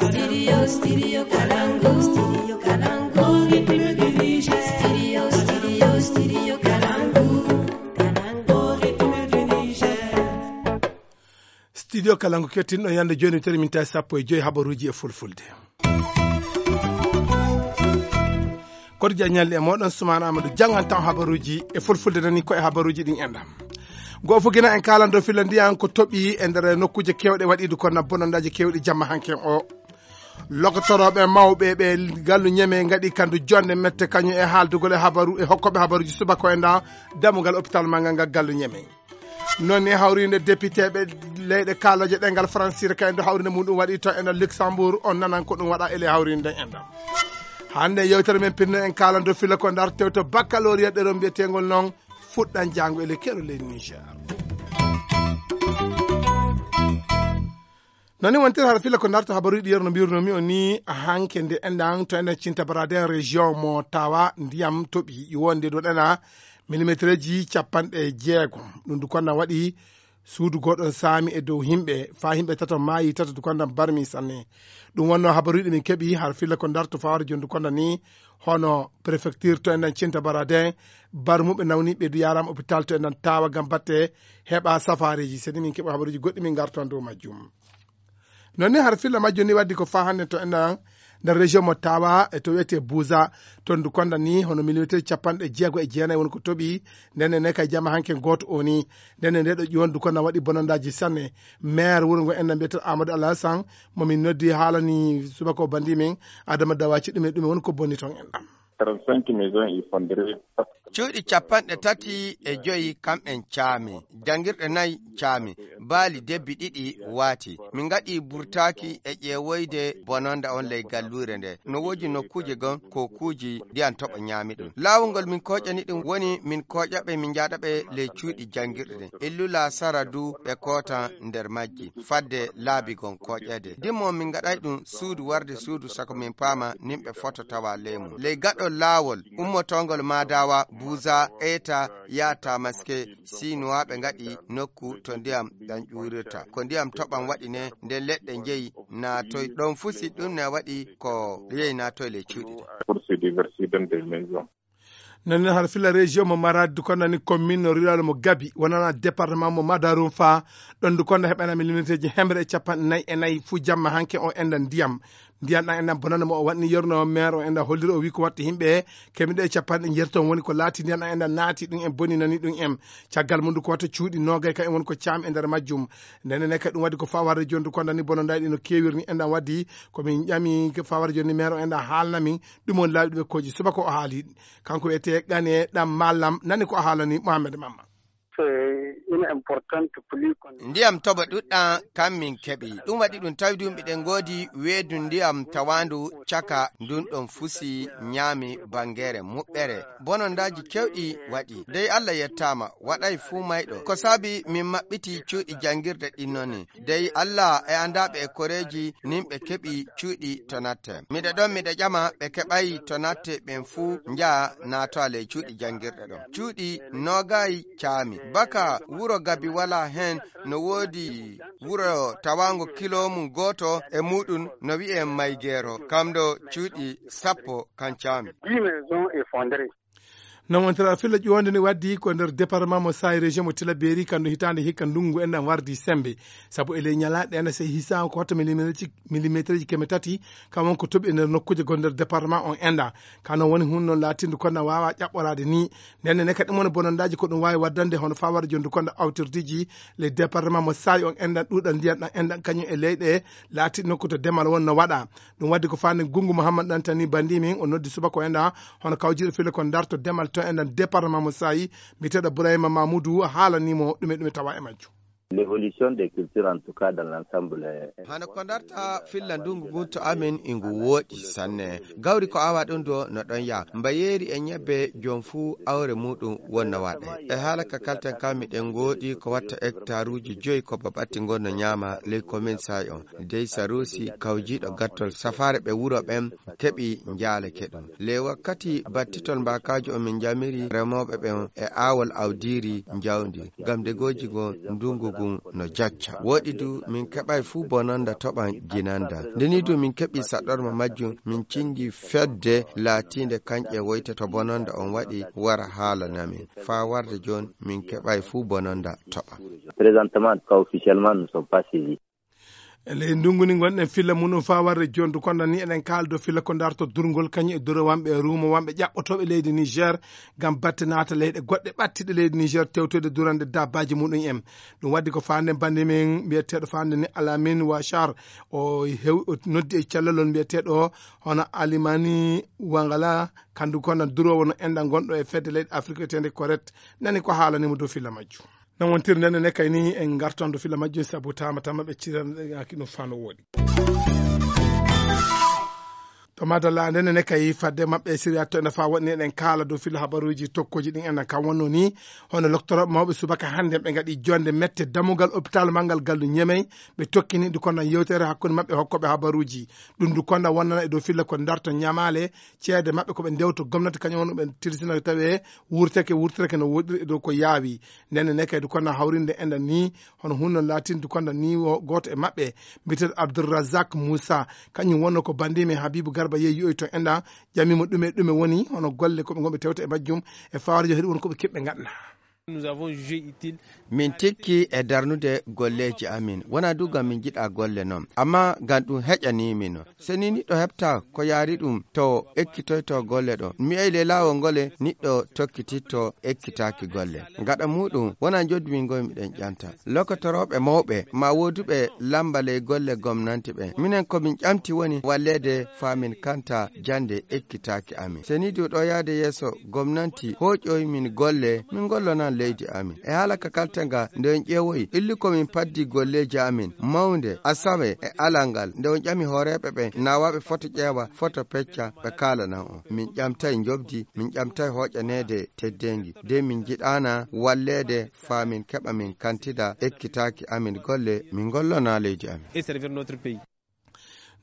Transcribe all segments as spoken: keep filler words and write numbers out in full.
Studio, studio Kalangu, studio Kalangu, rythme du Niger. Studio, studio, studio Kalangu, Kalangu, rythme du Niger. Studio Kalangu kettinɗo yande joni, teri min tawi sappo e joyi habaruji e fulfulde. Koto jañalli e moɗon Soumana Amadou, janngan tan habaruji e fulfulde, nani ko e habaruji ɗin enɗam. Goo fof gina en kaalando filla ndiyan ko toɓi e nder nokkuuje kewɗe waɗiidu kono bonondaji kewɗi jamma hanken o. Lokotorooɓe mawɓe ɓe gallu Ñeme ngaɗi kandu jonde mette kañum e haaldugol e habaru e hokkooɓe habaruji subaka o e nda dammugal hôpital manngal ngal gallu Ñeme. Noon ni hawrinde député ɓe leyɗe kaalooje ɗengal francire ka en do hawrinde mum ɗum waɗi to en Luxembourg, on nanan ko ɗum waɗa e ley hawrinde en ɗam. Hannde yewtere men pinno en kaalando fila ko ndar tewto baccalauréat ɗeɗon mbiyetengol noon fuɗɗan janngo e ley keɗo ley Niger. Nani wontir hara fila ko darto habaruji ɗi yerno mbirnomi o ni hanke nde enɗan to enɗan cinta baraden région mo tawa ndiyam toɓi wonde ɗo ɗena millimetreji capanɗe jeego. Ɗum du konna waɗi suudu goɗɗo saami e dow himɓe fa himɓe tato maayi tato du konna barmi sanne. Ɗum wonno habaruji ɗi min keɓi har fila ko darto fawara joni du konna ni hono préfecture to enɗan cinta baraden barmuɓe nawni ɓe du yarama hôpital to enɗan tawa gam batte heɓa safareji. Seni min keɓa habaruji goɗɗi min garton dow majjum. Noon ni har filla majjo ni waddi ko fa hannde to enɗan nder région mo tawa e to wiyete Buza, toon du konda ni hono millimetre capanɗe jeego e jeenayi woni ko toɓi. Ndenne ne kay jama hanke gooto o ni. Ndenne nde ɗo ƴiwon du konda waɗi bonondaji sanne. Maire wuro ngo enɗan mbiyeten Amadou Alassane mo min noddi haalani subaka o bandi min Adama Dawaci ɗum e ɗum e woni ko bonni toon enɗan. Trente-cinq maisons effondrées. Cuuɗi capanɗe tati e joyi kamɓen caami, janngirɗe nayi caami, baali debbi ɗiɗi waati. Min ngaɗi burtaaki e ƴeewoyde bononda on ley galluure nde. No woodi nokkuuje gon kokuuji ndiyan toɓo ñaami ɗum. Laawol ngol min kooƴani ɗum woni min kooƴaɓe min njaaɗaɓe ley cuuɗi janngirɗe ɗen. Illula sara du ɓe kootan nder majji fadde laabi gon kooƴeede. Dimmo min ngaɗay ɗum suudu warde suudu sako min paama nimɓe foto tawa ley mum. Ley gaɗol laawol ummotoongol Maadawa, Buuza, Eeta, yaa Tamaske, Siinuwaaɓe ngaɗi nokku to ndiyam ɗan ƴuurirta. Ko ndiyam toɓan waɗi ne, nden leɗɗe njeyi naatoy. Ɗon fusi ɗum ne waɗi ko yehi naatoy ley cuuɗi ɗin. Pour se déverser dans des maisons. Nani har fila région mo Maradi, du konnani commune rural mo Gabi, wonana département mo Madarum fa, ɗon du konda heɓana millimétreji hemre e capanɗe nayi e nayi fu jamma hanke o enɗan ndiyam. Ndiyam ɗan enɗan bonana mo o waɗni yerno o maire o enɗan holliri o wi ko watta himɓe kemiɗe e capanɗe njerton woni ko laati ndiyam ɗan enɗan naati ɗum en boni nani ɗum en. Caggal mum du ko watta cuuɗi nogay ka en woni ko caam e nder majjum. Ndene ne kadi ɗum waɗi ko fa warde joni du kondani bonondaɗi no kewirni enɗan waddi ko min ƴami ko fa warde joni maire o enɗan haalna min ɗum woni laawi ɗum e koji subaka o haali. Kanko wiyete Gane ɗam Mallam, nani ko a haalani Mohamed Mamma. C'est une importante pluie qu'on Ndiyam toɓo ɗuɗɗam kam min keɓi. Ɗum waɗi ɗum tawi ɗum miɗen ngoodi weedu ndiyam tawaandu caka ndun ɗon fusi ñaami bangere muɓɓere. Bonondaaji kewɗi waɗi. Dey Allah yettaama, waɗay fuu mayɗo. Ko saabi min maɓɓiti cuuɗi janngirde ɗin noni. Dey Allah e anndaaɓe e koreeji nin ɓe keɓi cuuɗi to natte. Miɗo ɗon miɗo ƴama ɓe keɓay to natte ɓen fuu njaha naatowa ley cuuɗi janngirɗe ɗon. Cuuɗi noogay caami. Baka wuro Gabi walaa hen no woodi wuro tawaango kilo mum gooto e muuɗum no wi'ee Maygeero. Kam ɗo cuuɗi sappo kan caami. Dix maisons effondrées. Non wontira filla ƴuwonde ni waddi ko nder département mo Saay région mo Tilaberi kandu hitaande hikka ndungu en ɗan wardi sembe. Sabu e ley ñalaaɗe ɗen se hisa ko hoto millimétreji, millimétreji keme tati kam won ko toɓi e nder nokkuuje gon nder département on enɗa. Kano woni hun non laatindu konda wawa ƴaɓɓoraade ni. Ndenne ne kadi mon bonondaji ko ɗum wawi waddande hono fawara jondu konda awtirdiji ley département mo Saay on enɗan ɗuɗal ndiyan ɗan enɗan kañum e leyɗe laati nokku to demal won no waɗa. Ɗum waddi ko faande Gungu Mouhammad Dantani bandi min o noddi subaka o enɗa hono kawjiɗo file ko darto demal to enɗan département mo Saay mbiyeteɗo Bourahima Mamoudou haalanimo ɗume ɗume tawa e majjum. L'évolution des cultures en tout cas dans l'ensemble est Hano ko darta filla ndungu ngun to amin ingu wooɗi sanne. Gawri ko awa ɗum do no ɗon ya. Mbayeeri e ñebbe jom fuu awre muɗum wonno waɗe. E haala ka kalten kam miɗen ngoodi ko watta hectaruuji joyi ko baɓatti ngon no ñaama ley commune Saay on. Dey Saruusi kawjiiɗo gattol safaare ɓe wuro ɓen keɓi njaaleke ɗum. Ley wakkati battitol mbaakaaji on min njamiri remooɓe ɓen e aawol awdiiri njawdi. Ngam degooji ngon ndungu ngun ɗum no jacca. Woɗi du min keɓay fuu bononda toɓan jinanda. Nde ni du min keɓi saɗɗorma majjum, min cingi fedde laatiinde kanƴe woyte to bononda on waɗi wara haalana min. Faa warde jooni min keɓay fuu bononda toɓa. Présentement, en tout cas, officiellement, nous ne sommes pas saisis. E ley ndungu ni ngonɗen filla muɗum faa warde jondu kono ni eɗen kaala dow filla ko darto durngol kañum e dorowanɓe e ruumowanɓe ƴaɓɓotooɓe leydi Niger ngam batte naata leyɗe goɗɗe ɓattiɗe leydi Niger tewtoyde durande dabbaaji muɗum en. Ɗum waddi ko faande bannde men mbiyeteeɗo faande ni Alamin Wachar o hew-, o noddi e cellal on mbiyeteeɗo hono Alimani Wangala kandu kono duroowo no enɗan gonɗo e fedde leyɗe Afrique wiyeteende Corette nani ko haalanimo dow filla majjum. Non wontiri nden ne kay ni en gartondo filla majjum sabu tama tama ɓe ciranaaki ɗum fano woɗi. To madalla nden ne kay fadde maɓɓe siriya to ene fa waɗni eɗen kaala dow filla habaruuji tokkoji ɗin enen kam wonno ni hono loktoro mawɓe subaka hannde ɓe ngaɗi jonde mette dammugal hôpital manngal gallu ñemey ɓe tokkini ndu kono yewtere hakkunde maɓɓe hokkoɓe habaruuji. Ɗum ndu kono wonnana e dow filla ko darto ñamaale ceede maɓɓe ko ɓe ndewto gomnati kañum woni ɓe tirsina tawi wurteke wurteke no woɗɗiri e dow ko yaawi. Nden ne kay du kono hawrinde enɗan ni hono hunno laatinde kono ni wo gooto e maɓɓe mbiyeteeɗo Abdourazak Moussa kañum wonno ko banndimi Habibou Garba yehi yoyi to enɗan ƴamimo ɗume ɗume woni hono golle ko ɓe ngonɓe tewta e majjum e fawarjo heɗi won ko ɓe keɓɓe ngaɗna. Nous avons jugé utile. Min tikki e darnude golleeji amin wona du gam min jiɗa golle noon amma gam ɗum heƴanii min. So ni niɗɗo heɓta ko yaari ɗum to ekkitoyto golle ɗo mi ey le laawol ngole niɗɗo tokkititto ekkitaaki golle. Gaɗa muɗum wona njoddu min ngoy miɗen ƴanta lokotorooɓe mawɓe ma wooduɓe lamba ley golle gomnanti ɓe minen ko min ƴamti woni walleede faa min kanta jannde ekkitaaki amin. So ni du ɗo yahde yeeso gomnanti hooƴoy min golle min ngollonan leydi amin. E haala ka kalten ga nde on ƴeewoyi illi ko min paddi golleeji amin mawnde asawe e alal ngal nde on ƴami hooreeɓe ɓen nawaaɓe foto ƴeewa foto pecca ɓe kaalanan on. Min ƴamtay njoɓdi min ƴamtay hooƴaneede teddeengi de min njiɗaana walleede faa min keɓa min kantida ekkitaaki amin golle min ngollona leydi amin. Et servir notre pays.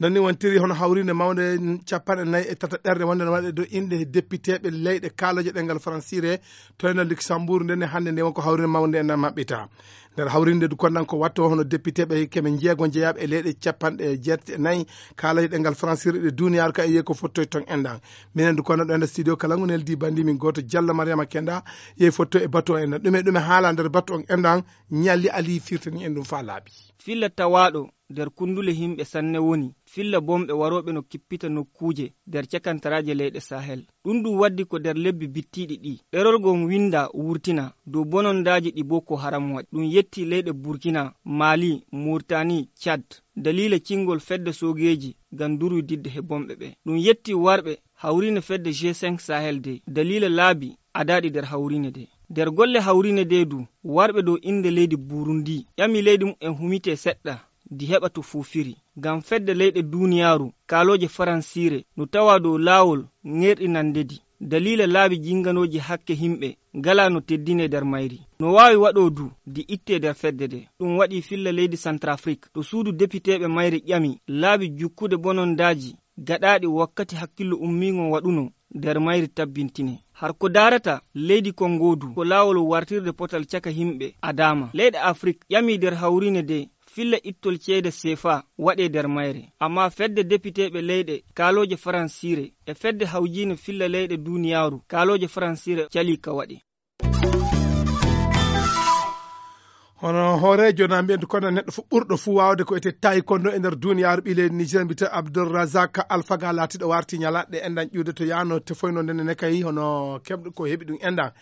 Non ni wontiri hono hawrinde mawnde capanɗe nayi e tata ɓerɗe wonde no waɗe dow inɗe depiteeɓe leyɗe kaaloje ɗengal faransiire to ena Luxembourg nde ne hannde nde wonko hawrinde mawnde ena maɓɓita. Nder hawrinde du konnan ko watto hono depiteeɓe keme jeego jeyaaɓe e leyɗe capanɗe jeetati e nayi kaaloje ɗengal faransiire ɗe duniyaaru ka e yiye ko fottoy ton enɗan. Minen du konnan ɗo ena studio kala ngu neldi bandi min gooto Diallo Mariama Kenda yehi fotto e batu on enɗan ɗume ɗume haala nder batu on enɗan. Ñalli Ali firtani en ɗum faa laaɓi. Filla tawaaɗo nder kunndule yimɓe sanne woni filla bomɓe warooɓe no kippita nokkuuje nder cakantaraaje leyɗe Sahel. Ɗum ɗum waddi ko nder lebbi bittiiɗi ɗi. Ɗerol ngon winnda wurtina dow bonondaaji ɗi Boko Haram waɗi. Ɗum yetti leyɗe Burkina, Mali, Murtani, Cad, daliila cingol fedde soogeeji ngam durwididde he bomɓe ɓe. Ɗum yetti warɓe hawriinde fedde G cinq Sahel de daliila laabi adaaɗi nder hawriine de. Nder golle hawriine de du, warɓe dow innde leydi Burundi ƴami leydi mumen humitee seɗɗa ndi heɓa to fuufiri. Ngam fedde leyɗe duniyaaru kaalooje faransiire no tawa dow laawol ŋerɗinande ndi. Daliila laabi jinnganooji hakke yimɓe ngalaa no teddinee nder mayri. No waawi waɗoo du ndi ittee nder fedde de. Ɗum waɗi filla leydi Santrafrik to suudu depiteeɓe mayri ƴami laabi jukkude bonondaaji gaɗaaɗi wakkati hakkillo ummiingo waɗunoo nder mayri tabbintine. Har ko daarata leydi Kongo du ko laawol wartirde potal caka yimɓe adaama. Leyɗe Afrik ƴami nder hawriine de filla ittol ceede seefa waɗee nder mayre. Ammaa fedde depiteeɓe leyɗe kaalooje faransiire e fedde hawjiine filla leyɗe duniyaaru kaalooje faransiire calii ka waɗee. Hono hooreejo na mbiyen kono neɗɗo fof ɓurɗo fuu waawde ko etee taekwondo e nder duniyaaru ɓii leydi Niger mbiyetee Abdourazak Alphaga laatiiɗo warti ñalaɗe enɗan ƴuude to yaano tefoyno ndene ne kay hono keɓɗo ko heɓi ɗum enɗan.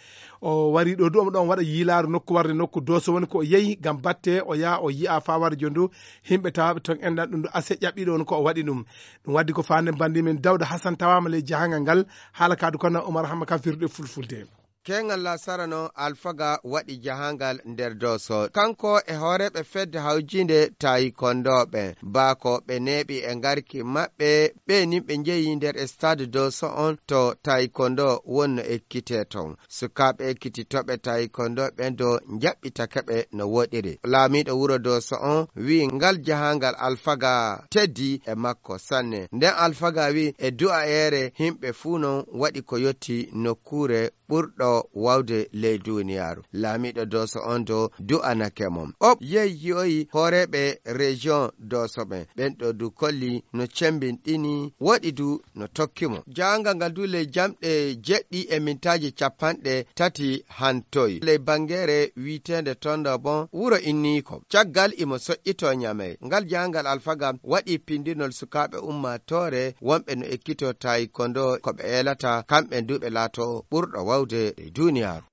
O warii ɗo du omo ɗon waɗa yiilaaru nokku warde nokku dooso woni ko o yehi ngam batte o yaha o yiya faa warde jooni du yimɓe tawaaɓe ton enɗan ɗum du ase ƴaɓɓii ɗo woni ko o waɗi ɗum. Ɗum waddi ko faande banndi men Dawda Hasan tawaama ley jahangal ngal haala ka du kono Umar Hamma ka firde fulfulde. Keeŋal laasara noon Alfaga waɗi jahaangal nder Dooso. Kanko e hooreeɓe fedde hawjiinde taayikondooɓe, baa ko ɓe neeɓi e ngarki maɓɓe, ɓe nin ɓe njeyi nder stade Dooso on to taayikondo wonno ekkitee toon. Sukaaɓe ekkititooɓe taayikondooɓe ɓen do njaɓɓitake ɓe no woɗiri. Laamiiɗo wuro Dooso on wi'i ngal jahaangal Alfaga teddii e makko sanne. Nden Alfaga wi'i e du'ayeere yimɓe fuu non waɗi ko yotti nokkuure ɓurɗo wawde ley duniyaaru. Laamiiɗo Dooso on do du'anake mo. Op yehi yi'oyi hooreeɓe région Dooso ɓen. Ɓen ɗo du kolli no cembinɗini, woɗi du no tokki mo. Jaangal ngal du ley jamɗe jeɗɗi e mintaaji capanɗe tati hantoy. Ley bangeere wi'eteende Tondo bon wuro inniiko. Caggal imo soƴƴitoo Ñamey. Ngal jaangal alfaga waɗi pindinol sukaaɓe ummaatoore wonɓe no ekkitoo taayikondo ko ɓe eelata, kamɓe du ɓe laatoo ɓurɗo wawde e duniyaaru.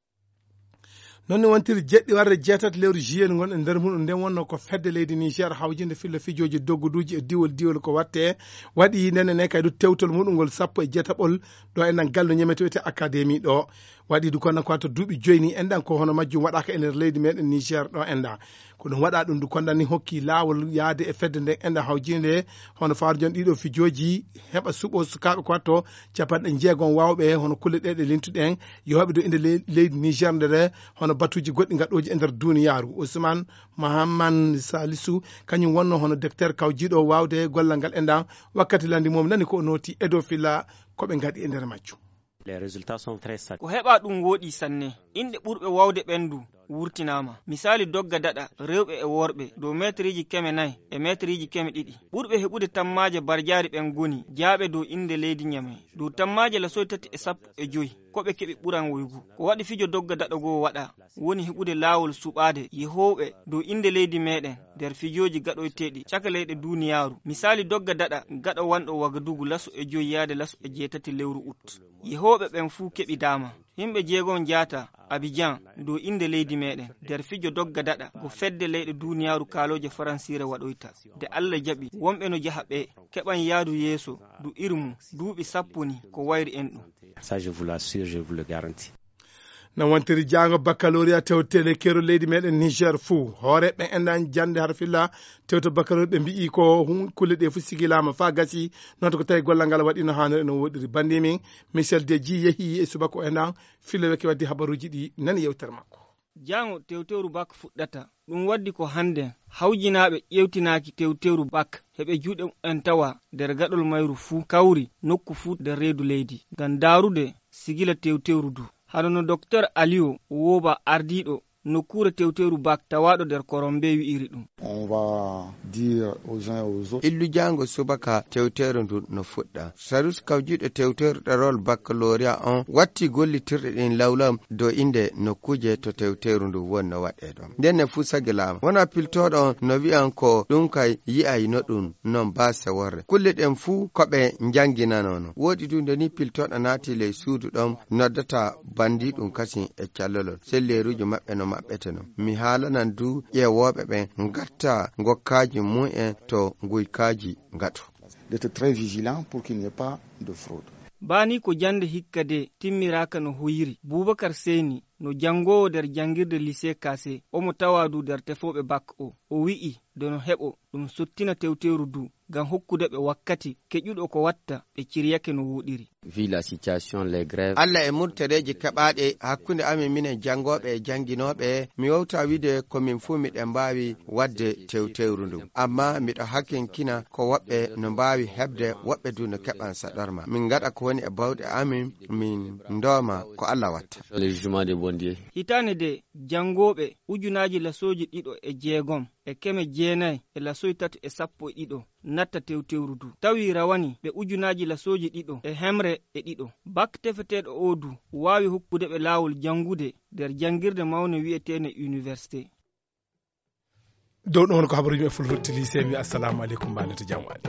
Noon ne wontiri jeɗɗi warde jeetati lewru juillet ngon e nder muɗum nden wonno ko fedde leydi Niger hawjinde filla fijooji dogguduuji e diwol diwol ko watte waɗi ndenne ne kay du tewtol muɗum ngol sappo e jeetaɓol ɗo enɗan gallo ñamete wiyete académie ɗo waɗi du kono ko to duuɓi joyni enɗan ko hono majjum waɗaka e nder leydi meɗen Niger ɗo enɗan ko ɗum waɗa ɗum du konɗan ni hokki laawol yaade e fedde nden enɗan hawjinde hono faarjon ɗiɗo fijooji heɓa suɓo sukaaɓe ko watto capanɗe jeegom wawɓe hono kulle ɗe ɗe lintuɗen yooɓe dow inde le- leydi Niger ndere hono batuuji goɗɗi gaɗooji e nder duniyaaru. Ousmane Mahaman Salisu kañum wonno hono docteur kawjiiɗo waawde gollal ngal enɗan wakkati landi mum nani ko o nooti edo fila ko ɓe ngaɗi e nder majjum. Les résultats sont très satisfaisants. Ko heɓa ɗum wooɗi sanne. Inɗe ɓurɓe wawde ɓen du wurtinaama. Misaali dogga daɗa rewɓe e worɓe dow meetriiji keme nayi e meetriiji keme ɗiɗi. Ɓurɓe heɓude tammaaje barjaari ɓen ngoni jaaɓe dow innde leydi Ñamey. Dow tammaaje lasoy tati e sappo e joy ko ɓe keɓi ɓuranwoygu. Ko waɗi fijo dogga daɗa goo waɗa woni heɓude laawol suɓaade yehooɓe dow innde leydi meeɗen nder fijooji gaɗoyteeɗi caka leyɗe duuniyaaru. Misaali dogga daɗa gaɗo wanɗo Wagadugu laso e joy yaade laso e jeetati lewru ut. Yehooɓe ɓen fuu keɓidaama. Yimɓe jeegom njaata Abijan dow innde leydi meeɗen nder fijo dogga daɗa ko fedde leyɗe duuniyaaru kaalooje faransiire waɗoyta. Nde Alla jaɓi, wonɓe no jaha ɓee keɓan yaadu yeeso du irmu duuɓi sappo ni ko wayri en ɗum. Ça, je vous l'assure, je vous le garantis. No wontiri jaango baccalauréat tewtele keerol leydi meɗen Niger fuu hooreɓe enɗan jannde har filla tewto baccalauréat ɓe mbi'i ko hun kulle ɗe fuu sigilaama faa gasi noon to ko tawi gollal ngal waɗi no haanori no woɗiri bandi min Michel Deji yehi e subaka o enɗan filla weke waddi habaruuji ɗi nani yewtere makko. Jaango tewtewru bak fuɗɗata. Ɗum waddi ko hannden hawjinaaɓe ƴeewtinaaki tewtewru bak heɓe juuɗe mumen tawa nder gaɗol mayru fuu kawri nokku fuu nder reedu leydi ngam ndaarude sigila tewtewru du. Hano no Doktor Aliyo Wooba ardiiɗo nokkuure tewtewru bak tawaaɗo nder Korombe wi'iri ɗum. On va dire aux uns et aux autres. Illu jaango subaka tewteeru ndu no fuɗɗa. Sarus kawjiiɗo tewteeru ɗerol baccalauréat on watti gollitirɗe ɗin lawlaw dow innde nokkuuje to tewteeru ndu woni no waɗee ɗon. Nden ne fuu sagilaama. Wona piltooɗo on no wi'an ko ɗum kay yi'ay no ɗum non baa seworre. Kulle ɗen fuu ko ɓe njannginanoono. Woodi du nde ni piltooɗo naati ley suudu ɗon noddata bandiiɗum kasin e callolol. Selleeruuji maɓɓe no maɓɓeteno. Mi haalanan du ƴeewooɓe ɓen ngatta ngokkaaji mumen to nguykaaji ngato. D'être très vigilant pour qu'il n'y ait pas de fraude. Baa ni ko jannde hikka de timmiraaka no hoyiri. Buubakar Seyni no janngoowo nder janngirde Lycée Kase, omo tawaa du nder tefooɓe bak o. O wi'i de no heɓo ɗum sottina tewteeru du ngam hokkude ɓe wakkati keƴuɗo ko watta ɓe ciryake no wooɗiri. Vu la situation, les grèves. Alla e murtereeji keɓaaɗe hakkunde amin minen janngooɓe e jannginooɓe, mi wowta wi'ude ko min fuu miɗen mbaawi waɗde tewtewru ndu. Ammaa miɗo hakinkina ko woɓɓe no mbaawi heɓde, woɓɓe du no keɓan saɗorma. Min ngaɗa ko woni e bawɗe amin, min ndooma ko Alla watta. Le jugement de Bondier. Hitaande de, janngooɓe ujunaaji lasooji ɗiɗo e jeegom e keme jeenayi e lasoy tati e sappo e ɗiɗo natta tewtewru du. Tawi rawani ɓe ujunaaji lasooji ɗiɗo e hemre e ɗiɗo. Bak tefeteeɗo oo du waawi hokkude ɓe laawol janngude nder janngirde mawnde wi'eteende université. Dow ɗum woni ko habaruuji men fulfulde lycée, mi assalamu aleykum, mbaɗen to jam waali.